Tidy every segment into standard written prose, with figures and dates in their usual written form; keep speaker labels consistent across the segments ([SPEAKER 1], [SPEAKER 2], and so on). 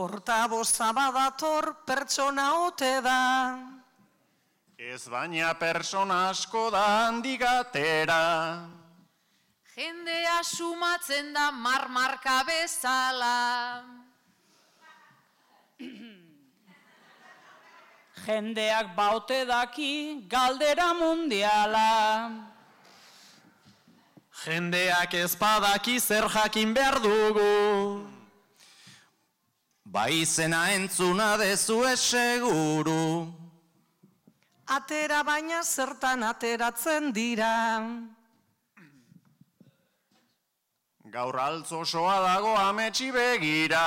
[SPEAKER 1] Portaboza badator pertsona ote da.
[SPEAKER 2] Ez baina persona asko da handigatera.
[SPEAKER 3] Jendea sumatzen da marmarka bezala.
[SPEAKER 4] Jendeak baute daki galdera mundiala.
[SPEAKER 5] Jendeak ez badaki zer jakin behar dugu.
[SPEAKER 6] Bai izena entzuna dezue seguru.
[SPEAKER 1] Atera baina zertan ateratzen dira.
[SPEAKER 2] Gaur altz osoa dago ametsi begira.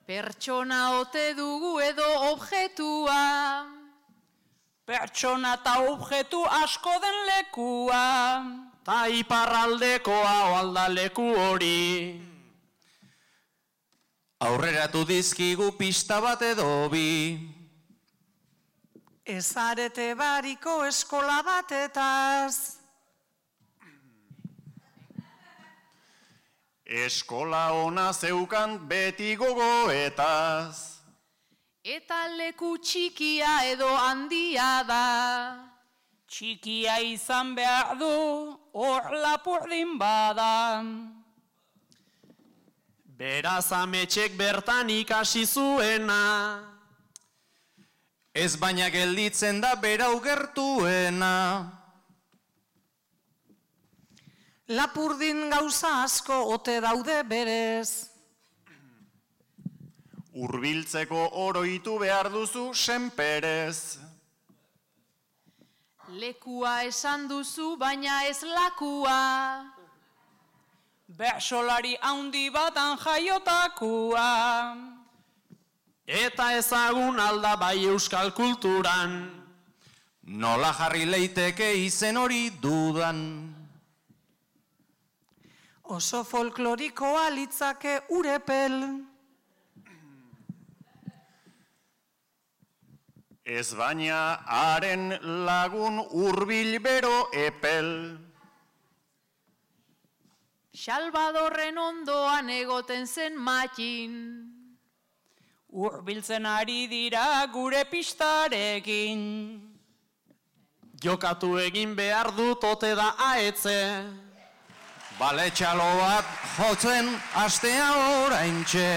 [SPEAKER 3] Pertsona ote dugu edo objetua.
[SPEAKER 4] Pertsona eta objektu asko den lekua.
[SPEAKER 5] Ta iparraldekoa oaldaleku hori.
[SPEAKER 6] Aurreratu dizkigu pista bat edo bi.
[SPEAKER 1] Ez arete bariko eskola batetaz.
[SPEAKER 2] Eskola ona zeukan beti gogoetaz.
[SPEAKER 3] Eta leku txikia edo handia da.
[SPEAKER 4] Txikia izan behar du, hor lapurdin bada.
[SPEAKER 5] Beraz ametxek bertan ikasi zuena.
[SPEAKER 6] Ez baina gelditzen da berau gertuena.
[SPEAKER 1] Lapurdin gauza asko ote daude berez.
[SPEAKER 2] Hurbiltzeko oroitu behar duzu senperez.
[SPEAKER 3] Lekua esan duzu baina ez lakua.
[SPEAKER 4] Bersolari handi batan jaiotakua.
[SPEAKER 5] Eta ezagun alda bai euskal kulturan.
[SPEAKER 6] Nola jarri leiteke izen hori dudan.
[SPEAKER 1] Oso folklorikoa litzake urepel.
[SPEAKER 2] Ez baina haren lagun hurbil bero epel.
[SPEAKER 3] Salvadorren ondoan egoten zen matxin.
[SPEAKER 4] Hurbiltzen ari dira gure pistarekin.
[SPEAKER 5] Jokatu egin behar dut ote da aetze.
[SPEAKER 6] Bale txalo bat jotzen astea oraintxe.